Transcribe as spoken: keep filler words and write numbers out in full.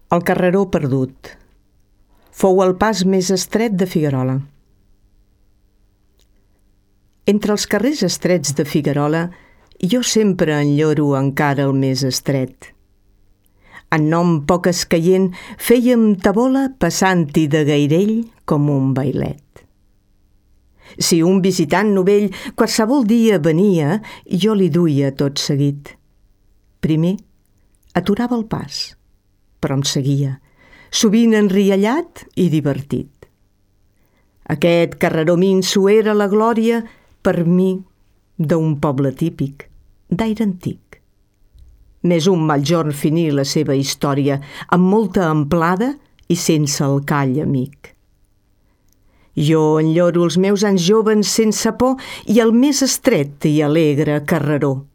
El carreró perdut. Fou el pas més estret de Figuerola. Entre els carrers estrets de Figuerola, jo sempre enlloro encara el més estret. En nom poc escaient, fèiem tabola passant-hi de gairell com un bailet. Si un visitant novell qualsevol dia venia, jo li duia tot seguit. Primer, aturava el pas, però em seguia, sovint enriallat i divertit. Aquest carreró minso era la glòria, per mi, d'un poble típic, d'aire antic. N'és un mal jorn finir la seva història, amb molta amplada i sense el call amic. Jo enlloro els meus anys joves sense por i el més estret i alegre carreró.